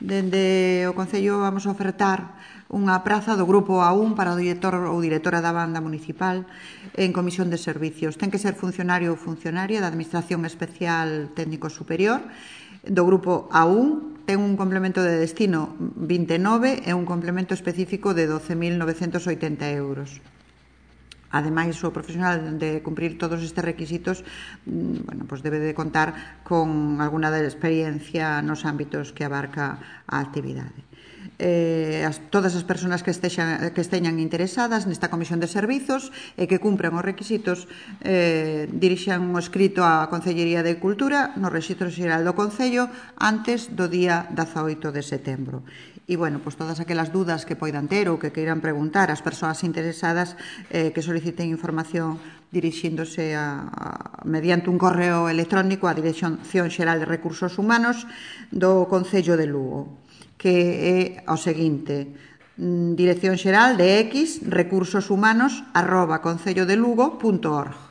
Dende o Concello vamos a ofertar unha praza do Grupo A1 para o director ou directora da banda municipal en comisión de servicios. Ten que ser funcionario ou funcionaria da Administración Especial Técnico Superior do Grupo A1. Ten un complemento de destino 29 e un complemento específico de 12.980 euros. Ademais, o profesional de cumprir todos estes requisitos debe de contar con alguna de experiencia nos ámbitos que abarca a actividade. Todas as persoas que esteñan interesadas nesta comisión de servizos e que cumpran os requisitos dirixan o escrito á Concellería de Cultura no Rexistro Xeral do Concello antes do día 18 de setembro. E, todas aquelas dudas que poidan ter ou que queiran preguntar ás persoas interesadas que soliciten información dirixíndose mediante un correo electrónico á Dirección Xeral de Recursos Humanos do Concello de Lugo, que é o seguinte: Dirección Xeral de X recursoshUmanos@concellodelugo.org.